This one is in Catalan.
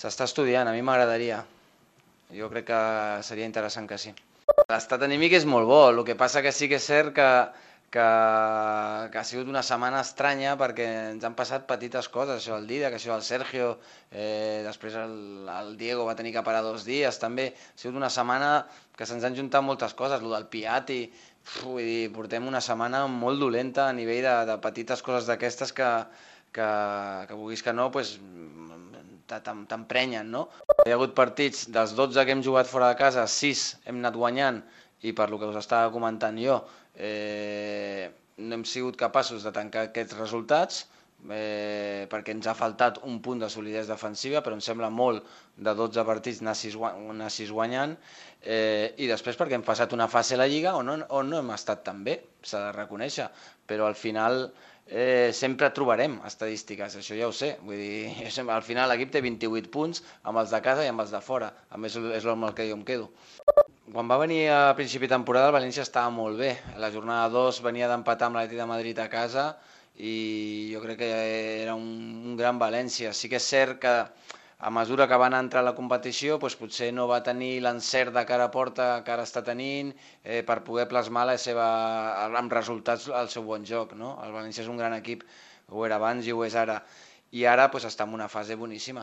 S'està estudiant, a mi m'agradaria. Jo crec que seria interessant que sí. L'estat anímic és molt bo, el que passa que sí que és cert que ha sigut una setmana estranya perquè ens han passat petites coses, això del Dida, que això del Sergio, després el Diego va tenir que parar 2 dies també. Ha sigut una setmana que se'ns han juntat moltes coses, el del Piatti, vull dir, portem una setmana molt dolenta a nivell de petites coses d'aquestes que vulguis que no, pues, t'emprenyen, no? Hi ha hagut partits, dels 12 que hem jugat fora de casa, 6 hem anat guanyant, i per lo que us estava comentant jo, no hem sigut capaços de tancar aquests resultats, perquè ens ha faltat un punt de solidesa defensiva, però em sembla molt de 12 partits anar 6 guanyant, i després perquè hem passat una fase a la Lliga on no hem estat tan bé, s'ha de reconèixer, però al final sempre trobarem estadístiques, això ja ho sé, vull dir, al final l'equip té 28 punts amb els de casa i amb els de fora, a més és amb el que jo em quedo. Quan va venir a principi de temporada el València estava molt bé, la jornada 2 venia d'empatar amb l'Atlètic de Madrid a casa i jo crec que era un gran València. Sí que és cert que a mesura que van entrar a la competició doncs potser no va tenir l'encert de cara a porta que ara està tenint per poder plasmar amb resultats el seu bon joc, no? El València és un gran equip, ho era abans i ho és ara, i ara doncs està en una fase boníssima.